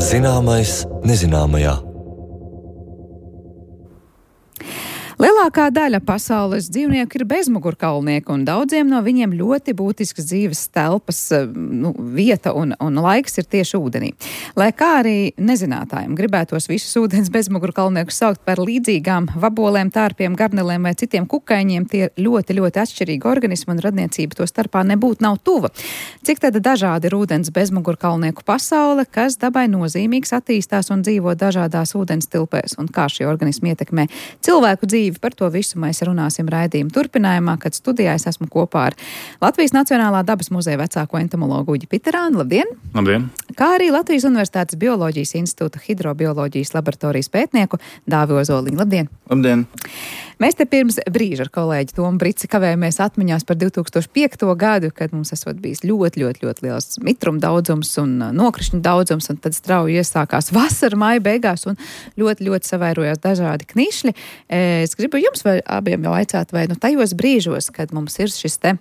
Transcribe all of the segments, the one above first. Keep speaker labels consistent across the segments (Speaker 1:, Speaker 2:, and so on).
Speaker 1: Zināmais nezināmajā.
Speaker 2: Lielākā daļa pasaules dzīvnieku ir bezmugurkaulnieki, un daudziem no viņiem ļoti būtisks dzīves telpas vieta un laiks ir tieši ūdenī. Lai kā arī nezinātājiem gribētos visus ūdens bezmugurkaulniekus saukt par līdzīgām vabolēm, tārpiem, garnelēm vai citiem kukaiņiem, tie ļoti, ļoti atšķirīgi organismi un radniecība to starpā nebūtu nav tuva. Cik tad dažādi ir ūdens bezmugurkaulnieku pasaule, kas dabai nozīmīgs attīstās un dzīvo dažādās ūdens tilpēs, un kā šie organismi ietekmē cilvēku dzīvi? Par to visu mēs runāsim raidījuma turpinājumā, kad studijā es esmu kopā ar Latvijas Nacionālā dabas muzeja vecāko entomologu Uģi Piterānu. Labdien!
Speaker 3: Labdien!
Speaker 2: Kā arī Latvijas Universitātes Bioloģijas institūta hidrobioloģijas laboratorijas pētnieku Dāvi Ozoliņu. Labdien!
Speaker 3: Labdien!
Speaker 2: Mēs te pirms brīža ar kolēģi Tomu Brici kavējamies atmiņās par 2005. gadu, kad mums esot bijis ļoti liels mitruma daudzums un nokrišņu daudzums, un tad strauji iesākās vasara maija beigās un ļoti savairojās dažādi knišļi. Es gribu jums vai abiem jau aicāt, vai tajos brīžos, kad mums ir šis te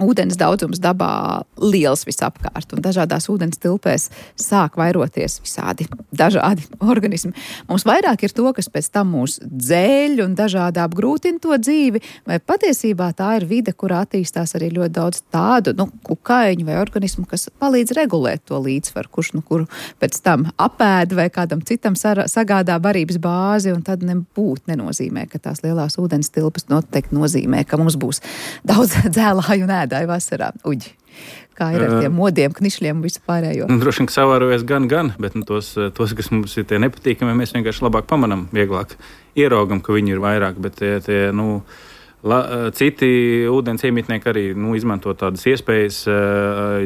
Speaker 2: ūdens daudzums dabā liels visapkārt un dažādās ūdens tilpēs sāk vairoties visādi dažādi organismi. Mums vairāk ir to, kas pēc tam mūs dzēļ un dažādi apgrūtina to dzīvi, vai patiesībā tā ir vide, kurā attīstās arī ļoti daudz tādu, kukaiņu vai organismu, kas palīdz regulēt to līdzsvaru, kurš kuru pēc tam apēd vai kādam citam sagādā barības bāzi, un tad nenozīmē, ka tās lielās ūdens tilpas noteikti nozīmē, ka mums būs daudz dzēlāju un ēdāju vasarā. Uģi, kā ir ar tiem modiem, knišļiem un visu pārējo?
Speaker 3: Droši vien, ka savārojas gan, bet tos, kas mums ir tie nepatīkami, mēs vienkārši labāk pamanām, vieglāk ieraugam, ka viņi ir vairāk, bet citi ūdens iemītnieki arī izmanto tādas iespējas,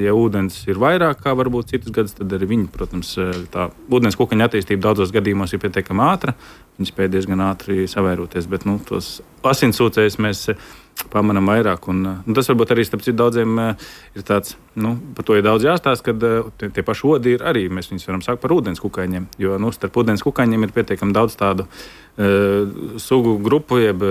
Speaker 3: ja ūdens ir vairāk, kā varbūt citus gadus, tad arī viņi, protams, tā ūdens kukaņa attīstība daudzos gadījumos ir pietiekami ātra, viņi spēj diezgan ātri savairoties, bet tos asinsūcējus mēs pamanām vairāk, un tas varbūt arī starp citu daudziem ir tāds, par to ir daudz jāstāst, kad tie paši odi ir arī, mēs viņus varam sākt par ūdens kukaiņiem, jo starp ūdens kukaiņiem ir pietiekami daudz tādu sugu grupu, jeb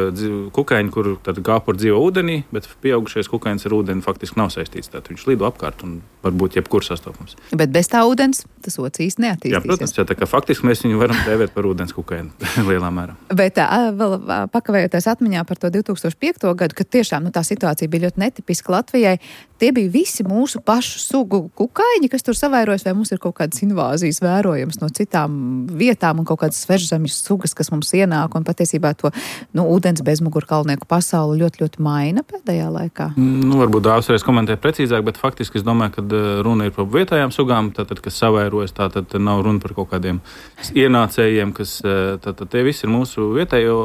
Speaker 3: kukaiņu, kur tad kāpur dzīvo ūdenī, bet pieaugušais kukaiņs ar ūdeni faktiski nav saistīts, tātad viņš lido apkārt un varbūt jebkur sastopams.
Speaker 2: Bet bez tā ūdens tas ocīs neattīstīsies.
Speaker 3: Jā, protams, tā kā faktiski mēs viņu varam dēvēt par ūdens kukaiņu lielā mērā.
Speaker 2: Bet vēl pakavējoties atmiņā par to 2005. Gadu, kad tiešām tā situācija bija ļoti netipiska Latvijai, tie bija visi mūsu pašu sugu kukaiņi, kas tur savairojas, vai mums ir kaut kādas invāzijas vērojams no citām vietām un kaut kādas svežzemju sugas, kas mums ienāk, un patiesībā to ūdens bezmugurkaulnieku pasauli ļoti maina pēdējā laikā?
Speaker 3: Varbūt Dāvs reiz komentē precīzāk, bet faktiski es domāju, ka runa ir par vietējām sugām, tātad, kas savairojas, tātad nav runa par kaut kādiem ienācējiem, kas tātad tie visi ir mūsu vietējo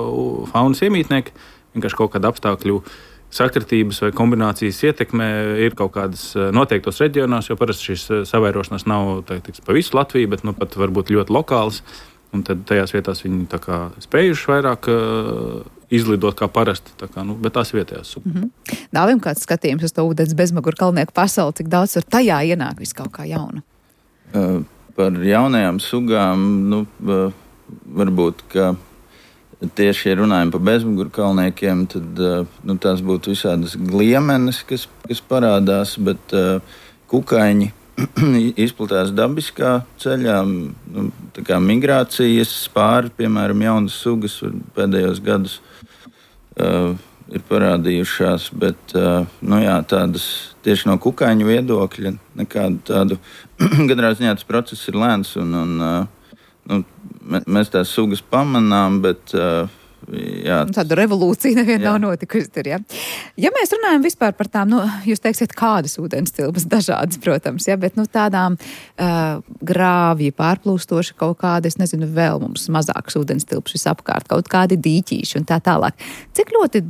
Speaker 3: faunas iemītnieki, vienkārši kaut kāda apstākļu sakritības vai kombinācijas ietekme ir kaut kādas noteiktos reģionos, jo parasti šīs savairošanās nav pa visu Latviju, bet pat varbūt ļoti lokālas. Un tad tajās vietās viņi tā kā spējuši vairāk izlidot kā parasti, bet tās vietējās sugas.
Speaker 2: Dāvim kāds skatījums uz to ūdens bezmugurkaulnieku pasauli, cik daudz tur tajā ienāk viss kaut kā jauna?
Speaker 4: Par jaunajām sugām, varbūt, ka tieši, ja runājam par bezmugurkaulniekiem, tad tās būtu visādas gliemenes, kas parādās, bet kukaiņi izplatās dabiskā ceļā, tā kā migrācijas pāri, piemēram, jaunas sugas pēdējos gadus ir parādījušās, bet, tādas tieši no kukaiņu viedokļa nekādu tādu, gadrā ziņā tas process ir lēns mēs tās sugas pamanām, bet
Speaker 2: tāda revolūcija neviena nav notikusi tur, ja? Ja mēs runājam vispār par tām, jūs teiksiet, kādas ūdens tilpas, dažādas, protams, ja, bet tātām grāvji pārplūstoši kaut kādi, es nezinu, vēl mums mazākas ūdens tilpas visapkārt, kaut kādi dīķīši un tā tālāk. Cik ļoti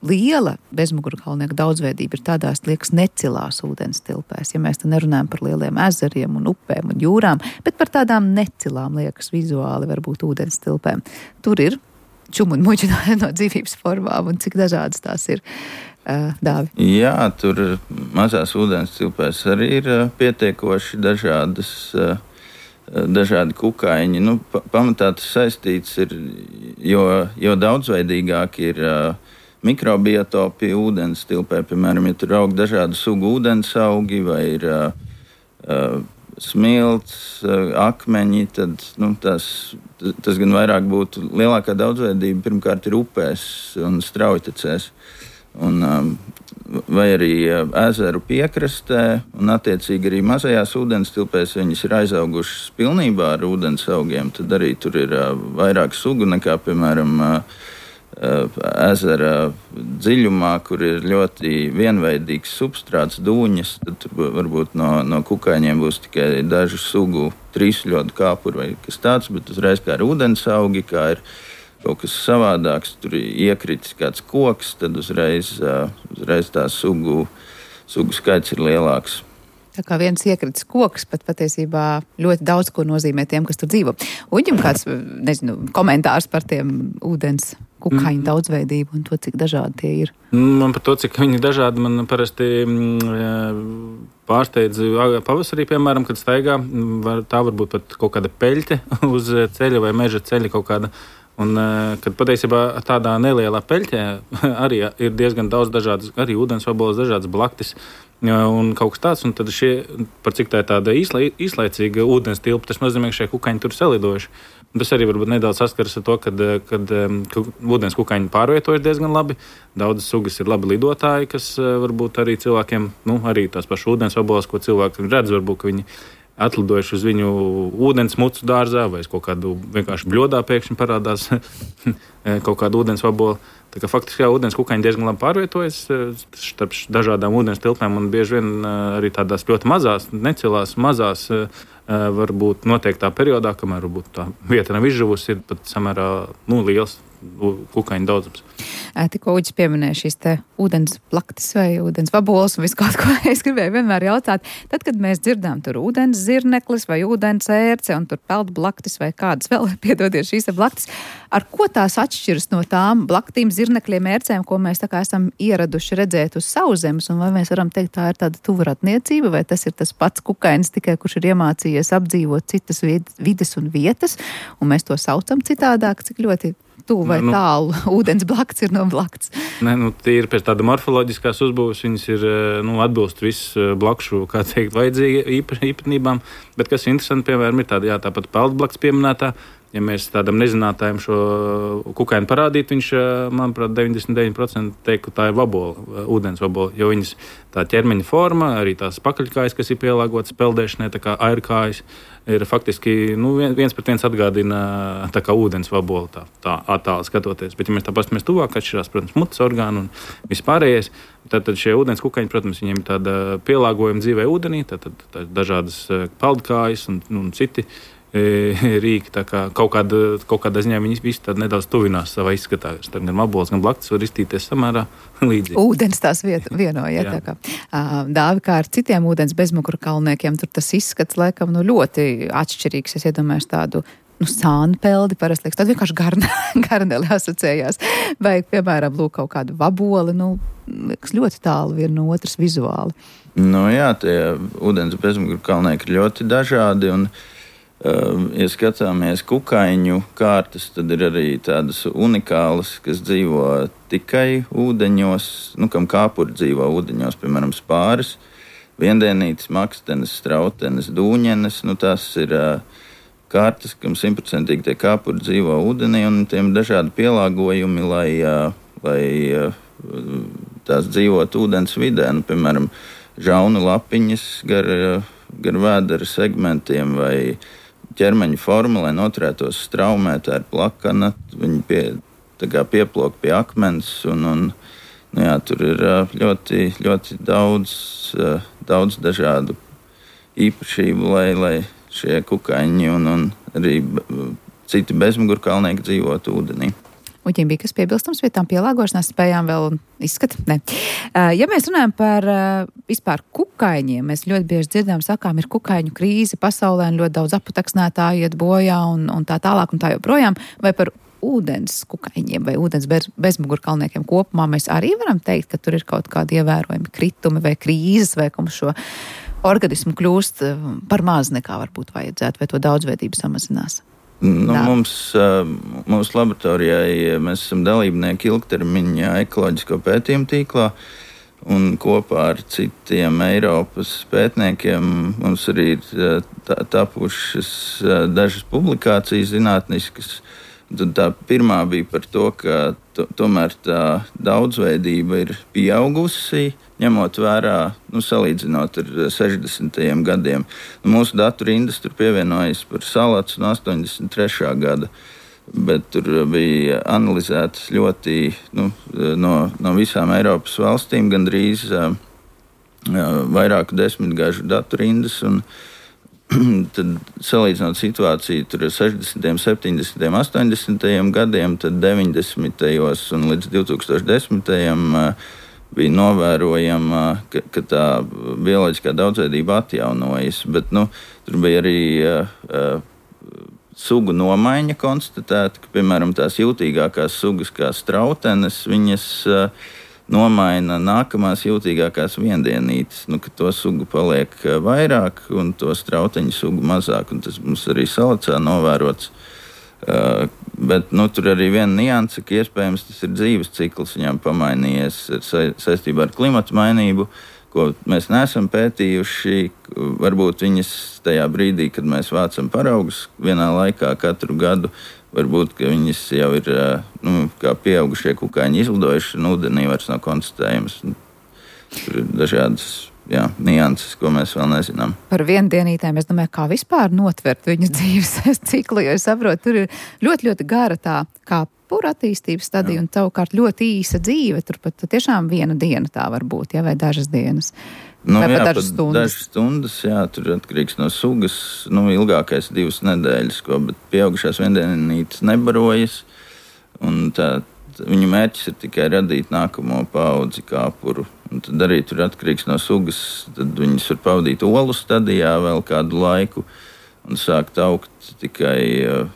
Speaker 2: liela bezmugurkaulnieku daudzveidība ir tādās, liekas, necilās ūdens tilpēs, ja mēs te nerunājam par lieliem ezeriem un upēm un jūrām, bet par tādām necilām, liekas, vizuāli varbūt ūdens tilpēm. Tur ir čumu un muģi no dzīvības formām, un cik dažādas tās ir, Dāvi?
Speaker 4: Jā, tur mazās ūdens tilpēs arī ir pietiekoši dažādi kukaiņi. Pamatā tas saistīts ir, jo daudzveidīgāk ir mikrobiotopi ūdens tilpē, piemēram, ja tur aug dažādu sugu ūdensaugi vai ir smilts, akmeņi, tad tas gan vairāk būtu lielākā daudzveidība. Pirmkārt ir upēs un straujtecēs, vai arī ezeru piekrastē, un attiecīgi arī mazajās ūdenstilpēs viņas ir aizaugušas pilnībā ar ūdens augiem. Tad arī tur ir vairāk sugu nekā, piemēram, ezera dziļumā, kur ir ļoti vienveidīgs substrāts, dūņas, tad tur varbūt no kukaiņiem būs tikai dažu sugu trīsļodu kāpuru vai kas tāds, bet uzreiz kā ir ūdens augi, kā ir kaut kas savādāks, tur iekritis kāds koks, tad uzreiz tās sugu skaits ir lielāks.
Speaker 2: Tā kā viens iekritis koks, pat patiesībā ļoti daudz ko nozīmē tiem, kas tur dzīvo. Uģim kāds, komentārs par tiem ūdens kukaiņu daudzveidību un to, cik dažādi tie ir?
Speaker 3: Man par to, cik viņi dažādi, man parasti pārsteidz pavasarī, piemēram, kad staigā. Tā varbūt pat kaut kāda peļķe uz ceļa vai meža ceļa kaut kāda. Un, kad patiesībā tādā nelielā peļķē arī ir diezgan daudz dažādas, arī ūdensvaboles, dažādas blaktis un kaut kas tāds. Un tad par cik tā ir tāda īslaicīga ūdens tilpa, tas nozīmē, ka šie kukaiņi tur salidojuši. Un tas arī varbūt nedaudz saskaras ar to, kad ūdens kukaiņi pārvietojas diezgan labi. Daudzas sugas ir labi lidotāji, kas varbūt arī cilvēkiem, arī tās pašas ūdensvaboles, ko cilvēki redz, varbūt, ka viņi atlidojuši uz viņu ūdens mucu dārzā vai kaut kādu vienkārši bļodā pēkšņi parādās kaut kāda ūdensvabola. Tā kā faktiski ūdens kukaiņi diezgan labi pārvietojas starp dažādām ūdens tilpēm un bieži vien arī tādās ļoti mazās, necilās, mazās varbūt noteiktā periodā, kamēr varbūt tā vieta nav izžuvusi, ir pat samērā liels kukaiņu daudzums.
Speaker 2: Tikko Uģis pieminēja šīs te ūdens plaktis vai ūdens vaboles un visu kaut ko. Es gribēju vienmēr jautāt, tad, kad mēs dzirdām tur ūdens zirneklis vai ūdens ērce un tur peld blaktis vai kādas vēl, piedodiet, šīs blaktis, ar ko tās atšķiras no tām blaktīm, zirnekļiem, ērcēm, ko mēs tā kā esam ieraduši redzēt uz sauszemes, un vai mēs varam teikt, tā ir tāda tuvaratniecība, vai tas ir tas pats kukainis, tikai kurš ir iemācījies apdzīvot citas vides un vietas, un mēs to saucam citādāk, cik ļoti tuvu vai tālu ūdens blakts ir no blakts.
Speaker 3: Tīri pēc tāda morfoloģiskās uzbūves viņas ir atbilst visu blakšu, kā teikt, vajadzīgi īpatnībām, bet kas interesanti, piemēram, ir tāda, tāpat peldblakts pieminētā. Ja mēs tādam nezinātājam šo kukaini parādītu, viņš, manuprāt, 99% teikt, ka tā ir vabola, ūdens vabola, jo viņas tā ķermeņa forma, arī tās pakaļkājas, kas ir pielāgotas peldēšanai, tā kā airkājas, ir faktiski, 1:1 atgādina tā kā ūdens vabola, tā attāli skatoties. Bet, ja mēs tā paskatāmies tuvāk, atšķirās, protams, mutes orgāni un vispārējais, tad šie ūdens kukaiņi, protams, viņiem ir tāda pielāgojuma dzīvē ūdenī, tad dažādas peldkājas un citi rīki, tā kā kaut kādā ziņā viņi visi tad nedaudz tuvinās savā izskatā. Starp gan vaboles, gan blaktis var iztīties samērā līdzīgi.
Speaker 2: Ūdens tās vienoja, tā kā. Dāvi, kā ar citiem ūdens bezmugurkalniekiem, tur tas izskats laikam ļoti atšķirīgs. Es iedomājos tādu sānpeldi, parasti liekas, tad vienkārši garneli asociējās. Vai, piemēram, lūk kaut kādu vaboli, liekas ļoti tālu viena no otras vizuāli.
Speaker 4: Tie ūdens bezmugurkalnieki ir ļoti dažādi un ja skatāmies kukaiņu kārtas, tad ir arī tādas unikālas, kas dzīvo tikai ūdeņos, kam kāpuri dzīvo ūdeņos, piemēram, spāris, viendienītes, makstenes, strautenes, dūņenes. Tās ir kārtas, kam 100% tie kāpuri dzīvo ūdenī, un tiem dažādi pielāgojumi, lai tās dzīvot ūdens vidē. Piemēram, žaunu lapiņas gar vēdera segmentiem vai ķermeņa forma, lai noturētos straumē, tā ir plakana, viņi pieplok pie akmens, un tur ir ļoti, ļoti daudz dažādu īpašību, lai šie kukaiņi un arī citi bezmugurkalnieki dzīvotu ūdenī.
Speaker 2: Uģim bija kas piebilstams pie tām pielāgošanās spējām vēl izskata? Ne. Ja mēs runājam par vispār kukaiņiem, mēs ļoti bieži dzirdām, sakām, ir kukaiņu krīze pasaulē un ļoti daudz aputeksnētāji iet bojā un tā tālāk un tā joprojām. Vai par ūdens kukaiņiem vai ūdens bezmugurkalniekiem kopumā mēs arī varam teikt, ka tur ir kaut kādi ievērojami kritumi vai krīzes vai ka mums šo organismu kļūst par maz nekā varbūt vajadzētu vai to daudzveidību samazinās?
Speaker 4: Mūsu laboratorijai mēs esam dalībnieki ilgtermiņā ekoloģisko pētījumu tīklā, Un kopā ar citiem Eiropas pētniekiem mums arī ir tapušas dažas publikācijas zinātniskas. Tad tā pirmā bija par to, ka tomēr tā daudzveidība ir pieaugusi, ņemot vērā, salīdzinot ar 60. gadiem. Mūsu datu rindas tur pievienojas par salacu no 83. gada, bet tur bija analizētas ļoti no visām Eiropas valstīm gandrīz vairāku desmitgažu datu rindas. Tad, salīdzinot situāciju ar 60., 70., 80. gadiem, tad 90. un līdz 2010. Bija novērojama, ka tā bioloģiskā daudzveidība atjaunojas, bet tur bija arī sugu nomaiņa konstatēta, ka, piemēram, tās jūtīgākās sugas kā strautenes, viņas nomaina nākamās jūtīgākās viendienītes, ka to sugu paliek vairāk un to strauteņu sugu mazāk, un tas mums arī salacā novērots. Bet tur arī viena nianse, ka iespējams tas ir dzīves cikls viņām pamainījies saistībā ar klimatu mainību, ko mēs neesam pētījuši. Varbūt viņas tajā brīdī, kad mēs vācam paraugus vienā laikā katru gadu, varbūt viņas jau ir kā pieaugušie kukaiņi izlidojuši, un ūdenī vairs nav konstatējams. Tur ir dažādas nianses, ko mēs vēl nezinām.
Speaker 2: Par viendienītēm es domāju, kā vispār notvert viņu dzīves ciklu, jo es saprotu, tur ir ļoti, ļoti gara tā kāpura attīstības stadija un savukārt ļoti īsa dzīve. Tur pat tiešām viena diena tā var būt, vai dažas dienas. Vai pat dažas stundas.
Speaker 4: Dažas stundas, tur atkarīgs no sugas, ilgākais 2 nedēļas, bet pieaugušās viendienītes nebarojas, un viņu mērķis ir tikai radīt nākamo paudzi kāpuru. Un tad arī tur atkarīgs no sugas, tad viņas var pavadīt olu stadijā vēl kādu laiku un sākt augt tikai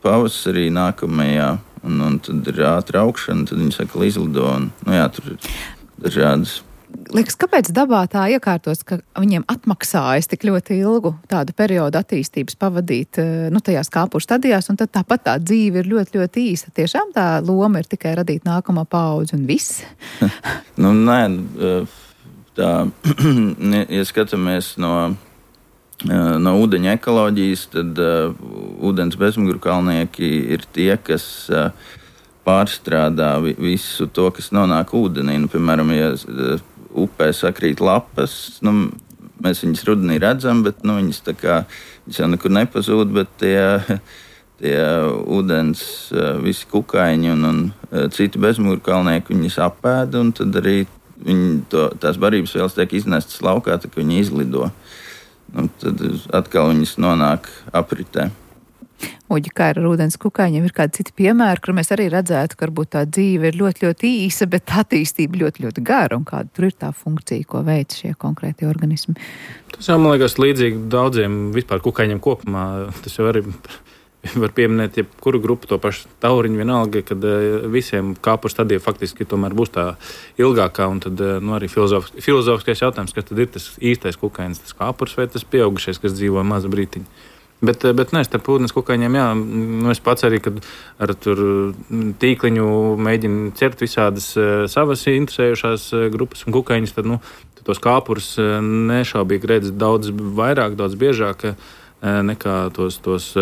Speaker 4: pavasarī nākamajā, un tad ir ātra augšana, tad viņas atkal izlido, un tur ir dažādas.
Speaker 2: Liekas, kāpēc dabā tā iekārtos, ka viņiem atmaksājas tik ļoti ilgu tādu periodu attīstības pavadīt tajās kāpuru stadijās, un tad tāpat tā dzīve ir ļoti, ļoti īsa. Tiešām tā loma ir tikai radīt nākamo paudzi un viss?
Speaker 4: Nē, tā, ja skatāmies no ūdeņa ekoloģijas, tad ūdens bezmugurkalnieki ir tie, kas pārstrādā visu to, kas nonāk ūdenī. Piemēram, ja upē sakrīt lapas, mēs viņas rudenī redzam, bet viņas jau nekur nepazūd, bet tie ūdens, visi kukaiņi un citi bezmugurkalnieki viņas apēda, un tad arī tās barības vielas tiek iznestas laukā, tā ka viņi izlido. Tad atkal viņas nonāk apritē.
Speaker 2: Uģi, kā ar ūdens kukaiņiem, ir kādi citi piemēri, kur mēs arī redzētu, ka varbūt tā dzīve ir ļoti, ļoti īsa, bet attīstība ļoti, ļoti gara, un kāda tur ir tā funkcija, ko veic šie konkrēti organismi.
Speaker 3: Tas jau, man liekas, līdzīgi daudziem vispār kukaiņiem kopumā. Tas jau arī var pieminēt jebkuru grupu, to pašu tauriņu vienalga, kad visiem kāpuru stadija faktiski tomēr būs tā ilgākā, un tad arī filozofiskais jautājums, kas tad ir tas īstais kukainis, tas kāpurs vai tas pieaugušais, kas dzīvo mazu brītiņu. Bet nē, starp ūdens kukaiņiem, es pats arī, kad ar tur tīkliņu mēģinu ķert visādas savas interesējušās grupas un kukaiņus, tad tos kāpurus nešaubīgi redz daudz vairāk, daudz biežāk nekā tos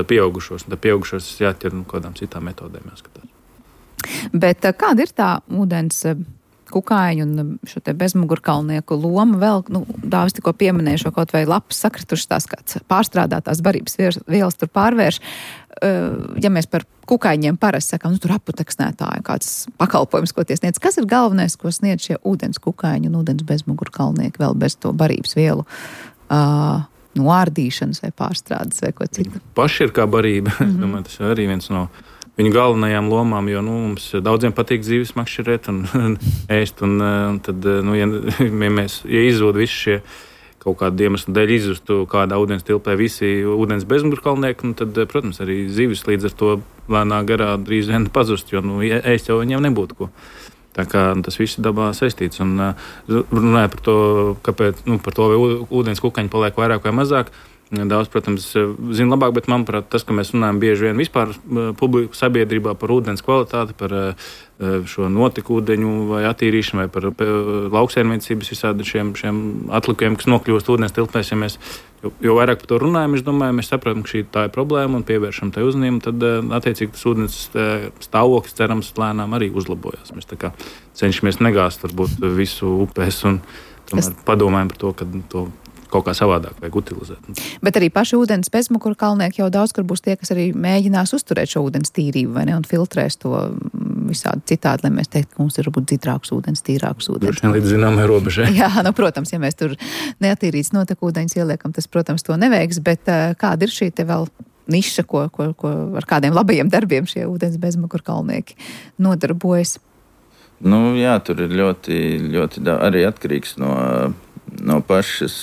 Speaker 3: pieaugušos. Un tad pieaugušos jāķer kādām citām metodēm jāskatās.
Speaker 2: Bet kāda ir tā ūdens kukaiņu un šo te bezmugurkalnieku loma vēl, Dāvis tikko pieminēja šo kaut vai lapas sakritušas tās kāds pārstrādātās barības vielas tur pārvērš. Ja mēs par kukaiņiem parasti sakām, tur aputeksnētāji kāds pakalpojums, ko tie sniedz. Kas ir galvenais, ko sniedz šie ūdens kukaiņi un ūdens bezmugurkalnieki vēl bez to barības vielu ārdīšanas vai pārstrādes vai ko citu?
Speaker 3: Paši ir kā barība. Es domāju, tas ir arī viens no viņu galvenajām lomām, jo mums daudziem patīk dzīves makšķerēt un ēst. Un tad, ja izzūd visi šie kaut kādu iemeslu dēļ izzustu kādā ūdens tilpē visi ūdens bezmugurkalnieki, tad, protams, arī zivis līdz ar to lēnā garā drīz vien pazust, jo ēst jau viņiem nebūtu ko. Tā kā tas viss dabā saistīts. Un runāja par to, kāpēc, par to, vai ūdens kukaiņi paliek vairāk vai mazāk. Daudz, protams, zina labāk, bet, manuprāt, tas, ka mēs runājam bieži vien vispār publiku sabiedrībā par ūdens kvalitāti, par šo notekūdeņu vai attīrīšanu vai par lauksaimniecības visādi šiem atlikumiem, kas nokļūst ūdens tilpēs. Ja mēs jo vairāk par to runājam, es domāju, mēs saprotam, ka tā ir problēma un pievēršam tai uzmanību, tad attiecīgi tas ūdens stāvoklis, cerams, lēnām arī uzlabojas. Mēs tā kā cenšamies negāzt varbūt visu upēs un tomēr padomājam par to, ka to kaut kā savādāk vajag utilizēt.
Speaker 2: Bet arī paši ūdens bezmuguru kalnieki jau daudz, kur būs tie, kas arī mēģinās uzturēt šo ūdens tīrību, vai ne, un filtrēs to visādi citādi, lai mēs teiktu, ka mums ir varbūt dzitrāks ūdens, tīrāks ūdens.
Speaker 3: Droši vien līdz zināmai robežai.
Speaker 2: Jā, protams, ja mēs tur neatīrīts notekūdeņus ieliekam, tas, protams, to neveiks, bet kāda ir šī te vēl niša, ko ar kādiem labajiem darbiem šie ūdens bezmuguru kalnieki nodarbojas?
Speaker 4: Jā, tur ir ļoti arī atkarīgs no pašas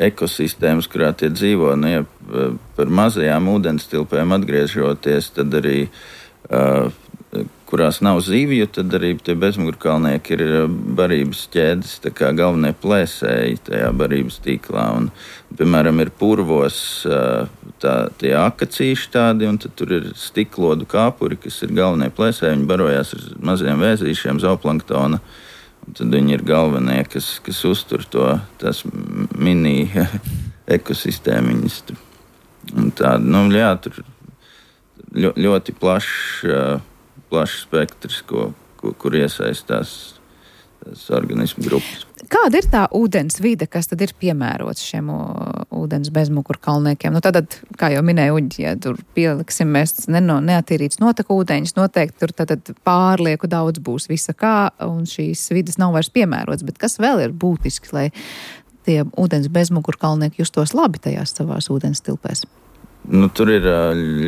Speaker 4: ekosistēmas, kurā tie dzīvo. Ja par mazajām ūdenstilpēm atgriežoties, tad arī, kurās nav zivju, tad arī tie bezmugurkalnieki ir barības ķēdes, tā kā galvenie plēsēji tajā barības tīklā. Un, piemēram, ir purvos tie akacīši tādi, un tad tur ir stiklodu kāpuri, kas ir galvenie plēsēji. Viņi barojās ar maziem vēzīšiem, zooplanktona. Un tad viņi ir galvenie, kas uztur tās mini ekosistēmiņas. Un tāda, tur ļoti plašs spektrs, kur iesaistās organismu grupas.
Speaker 2: Kāda ir tā ūdens vide, kas tad ir piemērots šiem ūdens bezmuguru kalniekiem? Tātad, kā jau minēja Uģi, ja tur pieliksim mēs neatīrīts notekūdeņus, noteikti tur tātad pārlieku daudz būs visa kā, un šīs vides nav vairs piemērots. Bet kas vēl ir būtiski, lai tie ūdens bezmuguru kalnieki justos labi tajās savās ūdens tilpēs?
Speaker 4: Tur ir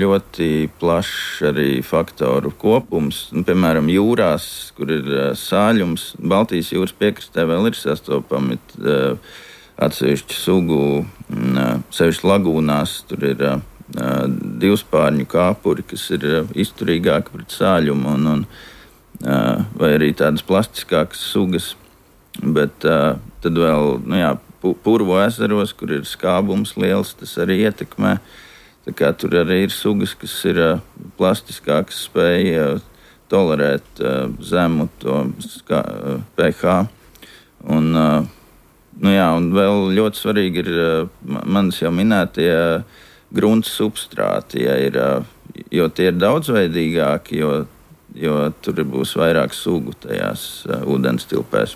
Speaker 4: ļoti plašs arī faktoru kopums. Piemēram, jūrās, kur ir sāļums, Baltijas jūras piekrastē vēl ir sastopami atsevišķu sugu, sevišķi lagūnās. Tur ir divspārņu kāpuri, kas ir izturīgāki pret sāļumu, vai arī tādas plastiskākas sugas. Bet tad vēl purvu ezeros, kur ir skābums liels, tas arī ietekmē. Tā kā tur arī ir sugas, kas ir plastiskākas, spēja tolerēt zemu to pH. Un vēl ļoti svarīgi ir manis jau minētie grunts substrāti, jo tie ir daudzveidīgāki, jo tur būs vairāk sugu tajās ūdens tilpēs.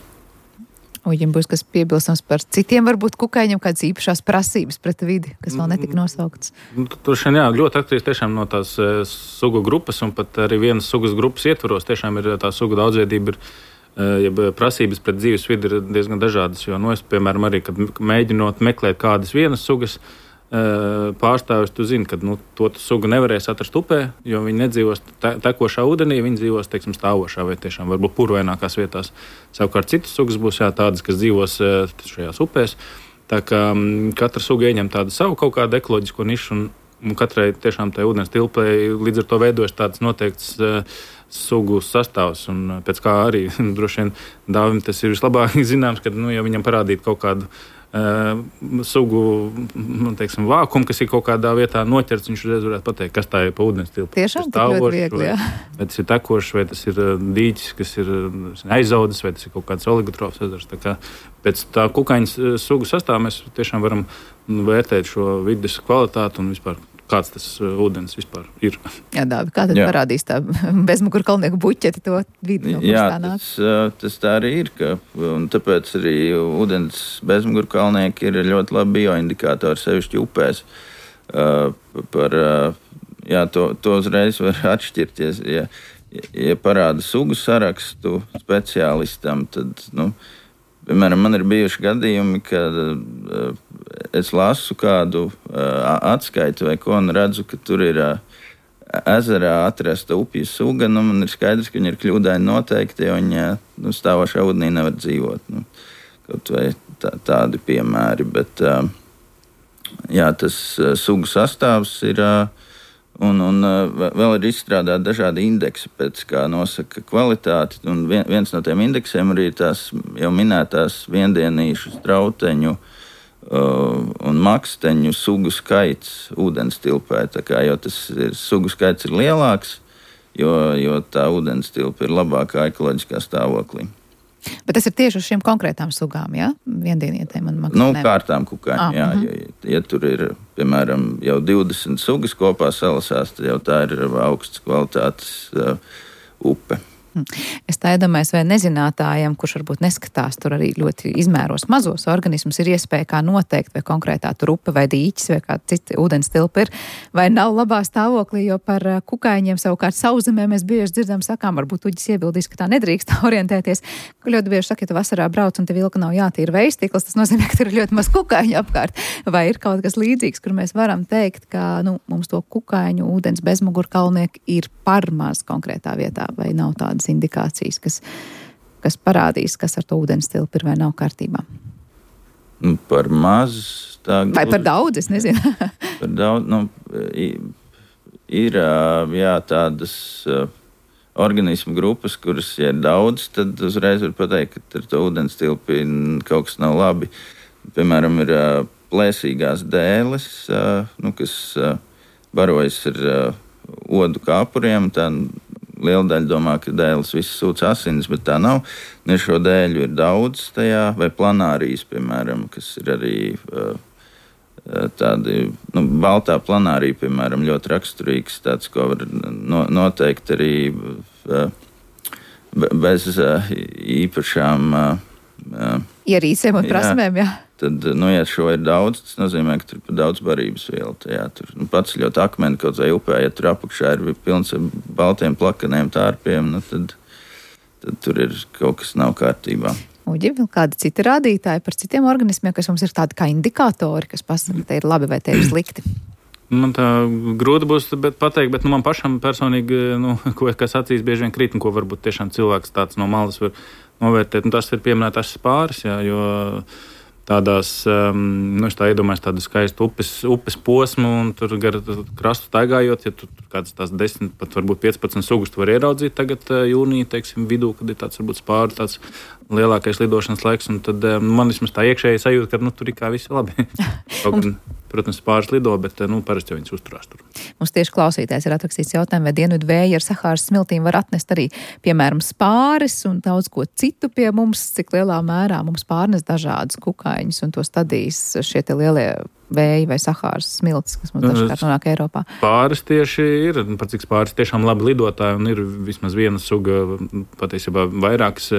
Speaker 2: Uģim būs kas piebilstams par citiem, varbūt kukaiņiem, kādas īpašās prasības pret vidi, kas vēl netika nosauktas?
Speaker 3: Tur ļoti atkarīgs tiešām no tās sugu grupas, un pat arī vienas sugas grupas ietvaros tiešām ir tā suga daudzveidība, prasības pret dzīves vidi ir diezgan dažādas, jo, es, piemēram, arī, kad mēģinot meklēt kādas vienas sugas pārstāvis, tu zini, ka to sugu nevarēs atrast upē, jo viņi nedzīvos tekošā ūdenī, viņi dzīvos, teiksim, stāvošā vai tiešām varbūt purvainākās vietās. Savukārt citas sugas būs tādas, kas dzīvos šajās upēs. Tā kā katra suga ieņem tādu savu kaut kādu ekoloģisko nišu, un katrai tiešām tai ūdens tilpei līdz ar to veidojas tāds noteikts sugu sastāvs, un pēc kā arī droši vien Dāvim tas ir vislabāk zināms, kad ja viņam parādīt kaut kādu sugu, teiksim, vākumu, kas ir kaut kādā vietā noķerts, viņš uzreiz varētu pateikt, kas tā ir pa ūdens tilpu.
Speaker 2: Tiešām tik ļoti viegli, jā.
Speaker 3: Vai tas ir tekošs, vai tas ir dīķis, kas ir aizaudzis, vai tas ir kaut kāds oligotrofs ezers. Tā kā pēc tā kukaiņas sugu sastāvā mēs tiešām varam vērtēt šo vides kvalitāti un vispār kāds tas ūdens vispār ir. Jā,
Speaker 2: Dāvi, kā tad parādīs tā bezmuguru kalnieku buķeti to vidi?
Speaker 4: Tas tā arī ir, un tāpēc arī ūdens bezmuguru kalnieki ir ļoti labi bioindikātori, sevišķi upēs. To uzreiz var atšķirties. Ja parāda sugu sarakstu speciālistam, tad, piemēram, man ir bijuši gadījumi, kad es lasu kādu atskaitu vai ko un redzu, ka tur ir ezerā atrasta upju suga, man ir skaidrs, ka viņi ir kļūdaini noteikti, jo viņi stāvošā ūdenī nevar dzīvot. Kaut vai tādi piemēri, bet tas sugu sastāvs ir, un vēl ir izstrādāti dažādi indeksi, pēc kā nosaka kvalitāti, un viens no tiem indeksiem arī tās jau minētās viendienīšu strauteņu un maksteņu sugu skaits ūdens tilpē. Jo tas sugu skaits ir lielāks, jo tā ūdens tilpa ir labākā ekoloģiskā stāvoklī.
Speaker 2: Bet tas ir tieši uz šīm konkrētām sugām, jā? Viendienietēm un makstenēm?
Speaker 4: Kārtām kukaiņu, jā. Ja tur ir, piemēram, jau 20 sugas kopā salasās, tad jau tā ir augsts kvalitātes upe.
Speaker 2: Es tā iedomājos, vai nezinātājiem, kurš varbūt neskatās tur arī ļoti izmēros mazos organismus, ir iespēja kā noteikt, vai konkrētā tur upe vai dīķis vai kāda cita ūdens tilpa ir, vai nav labā stāvoklī, jo par kukaiņiem savukārt Sauszemē mēs bieži dzirdam sakām, varbūt uģis iebildīs, ka tā nedrīkst orientēties. Ļoti bieži saka, ja tu vasarā brauc un te vilka nav jātīra vejstīkls, tas nozīmē, ka tur ir ļoti maz kukaiņu apkārt. Vai ir kaut kas līdzīgs, kur mēs varam teikt, ka mums to kukaiņu ūdens bezmugurkalnieku ir par maz konkrētā vietā, vai nav tādas indikācijas, kas parādīs, kas ar to ūdens tilpu ir vai nav kārtībā?
Speaker 4: Par maz.
Speaker 2: Vai par daudz, es nezinu.
Speaker 4: Par daudz, ir tādas organismu grupas, kuras, ja ir daudz, tad uzreiz var pateikt, ka ar to ūdens tilpu kaut kas nav labi. Piemēram, ir plēsīgās dēles, kas barojas ar odu kāpuriem, tā liela daļa domā, ka dēles visas sūc asinis, bet tā nav. Šo dēļu ir daudz tajā, vai planārijas, piemēram, kas ir arī tādi, baltā planārija, piemēram, ļoti raksturīgs, tāds, ko var noteikt arī bez īpašām
Speaker 2: ierīcēm un prasmēm, jā.
Speaker 4: Tad, ja šo ir daudz, tas nozīmē, ka tur ir daudz barības vielu tajā. Tur paceļot akmeni kaut vai upē, ja tur apakšā ir pilns ar baltiem plakaniem tārpiem, tad tur ir kaut kas nav kārtībā.
Speaker 2: Uģi, vēl kādi citi rādītāji par citiem organismiem, kas mums ir tādi kā indikātori, kas pasaka, te ir labi vai te ir slikti?
Speaker 3: Man tā grūti būs pateikt, bet man pašam personīgi, kas acīs bieži vien krīt, ko varbūt tiešām cilvēks tāds no malas var novērtēt. Tas ir pieminētās spāris, jā, jo tādās, es tā iedomājos tādu skaistu upes posmu, un tur gar krastu staigājot, ja tur kādas tās 10, pat varbūt 15 sugas tu var ieraudzīt tagad jūnija, teiksim, vidū, kad ir tāds varbūt spāru tāds lielākais lidošanas laiks, un tad man vismaz tā iekšēji sajūta, ka tur ir kā visi labi. Protams, spāris lido, bet parasti jau viņas uzturās tur.
Speaker 2: Mums tieši klausītājs ir atrakstīts jautājumu, vai dienvidu vēji ar Sahāras smiltīm var atnest arī, piemēram, spāris un daudz ko citu pie mums, cik lielā mērā mums pārnes dažādas kukaiņus un to stadīs šie te lielie vēji vai Sahāras smiltis, kas mums dažkārt nonāk Eiropā.
Speaker 3: Spāris tieši ir, par cik spāris tiešām labi lidotāji, un ir vismaz viena suga, patiesībā vairākas,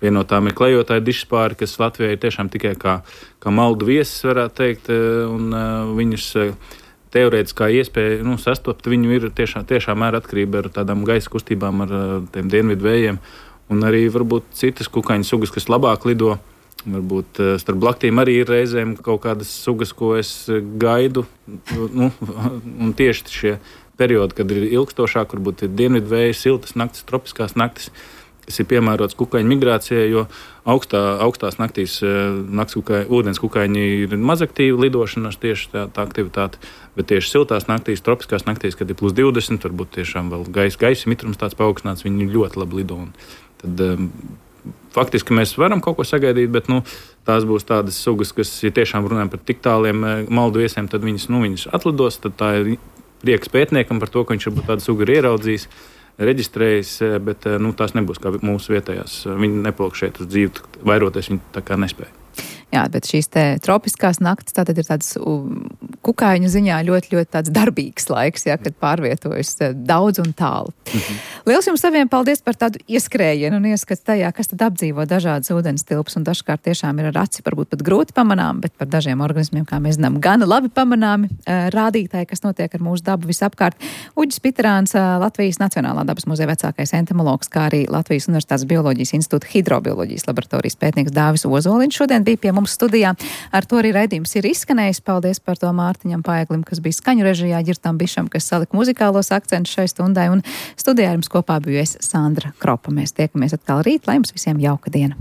Speaker 3: viena no tām ir klejotāja dišspāri, kas Latvijā ir tiešām tikai kā maldu viesis, varētu teikt, un viņus teorētiskā iespēja sastopt viņu ir tiešām mērā atkarība ar tādām gaisa kustībām, ar tiem dienvidu vējiem, un arī varbūt citas kukaiņu sugas, kas labāk lido. Varbūt starp blaktīm arī ir reizēm kaut kādas sugas, ko es gaidu. Un tieši šie periodi, kad ir ilgstošāk, varbūt ir dienvidu vēja, siltas naktis, tropiskās naktis, kas ir piemērots kukaiņu migrācijai, jo augstās naktīs ūdens kukaiņi ir mazaktīvi lidošanas tieši tā aktivitāte, bet tieši siltās naktīs, tropiskās naktīs, kad ir plus 20, varbūt tiešām vēl gaisa mitrums tāds paaugstināts, viņi ļoti labi lido. Tad faktiski mēs varam kaut ko sagaidīt, bet tās būs tādas sugas, kas, ja tiešām runājam par tik tāliem maldu viesiem, tad viņas atlidos, tad tā ir prieks pētniekam par to, ka viņš varbūt tādu sugu ir ieraudzījis, reģistrējis, bet tās nebūs kā mūsu vietējās. Viņi nepalk šeit uz dzīvi, vairoties viņi tā kā nespēja.
Speaker 2: Jā, bet šīs te tropiskās naktis tātad ir tāds kukaiņu ziņā ļoti, ļoti tāds darbīgs laiks, jā, kad pārvietojas daudz un tālu. Liels jums saviem paldies par tādu ieskrējienu un ieskats tajā, kas tad apdzīvo dažādas ūdens tilpes, un dažkārt tiešām ir ar aci varbūt pat grūti pamanām, bet par dažiem organismiem, kā mēs zinām, gan labi pamanāmi rādītāji, kas notiek ar mūsu dabu visapkārt. Uģis Piterāns, Latvijas Nacionālā dabas muzeja vecākais entomologs, kā arī Latvijas Universitātes Bioloģijas institūta hidrobioloģijas laboratorijas pētnieks Dāvis Ozoliņš šodien bija pie mums studijā. Ar to arī raidījums ir izskanējis. Paldies par to Mārtiņam Paeglim, kas bija skaņu režijā, Ģirtam Bišam, kas salika muzikālos akcentus šai stundai, un studijā jums kopā biju es, Sandra Kropa. Mēs tiekamies atkal rīt, lai jums visiem jauka diena.